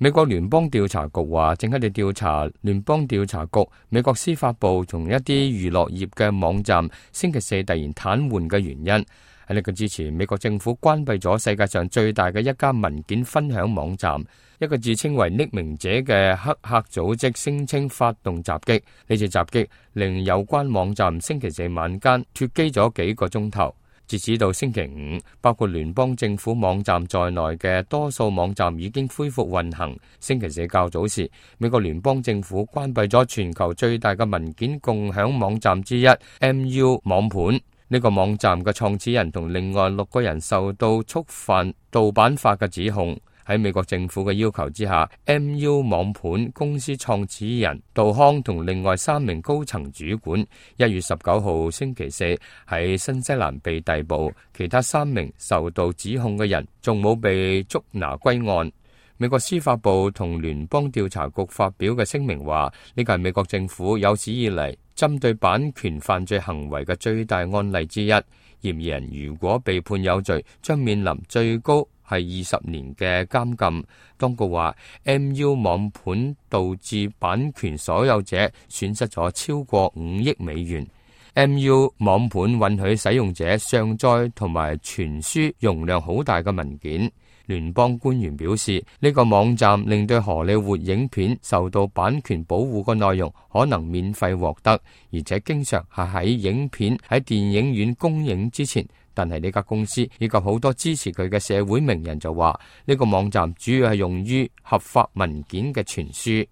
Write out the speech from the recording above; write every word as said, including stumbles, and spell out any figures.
美國聯邦調查局話，正喺度調查聯邦調查局、美國司法部同一啲娛樂業嘅網站星期四突然癱瘓嘅原因。喺呢個之前，美國政府關閉咗世界上最大嘅一家文件分享網站。一個自稱為匿名者嘅黑客組織聲稱發動襲擊，呢次襲擊令有關網站星期四晚間脫機咗幾個鐘頭。截止到星期五，包括聯邦政府網站在內嘅多數網站已經恢復運行。星期四較早時，美國聯邦政府關閉咗全球最大嘅文件共享網站之一 M U 網盤。呢個網站嘅創始人同另外六個人受到觸犯盜版法嘅指控。喺美國政府嘅要求之下 ，M U 網盤公司創始人杜康同另外三名高層主管一月十九號星期四喺新西蘭被逮捕，其他三名受到指控嘅人仲冇被捉拿歸案。美國司法部同聯邦調查局發表嘅聲明話，呢個係美國政府有史以嚟針對版權犯罪行為嘅最大案例之一。嫌疑人如果被判有罪，將面臨最高係二十年嘅監禁。當局話 M U 網盤導致版權所有者損失咗超過五億美元。M U 網盤允許使用者上載同埋傳輸容量好大嘅文件。聯邦官員表示，呢個網站令對荷里活影片受到版權保護嘅內容可能免費獲得，而且經常係喺影片喺電影院公映之前。但係呢家公司以及好多支持佢嘅社會名人就話，呢個網站主要係用於合法文件嘅傳輸。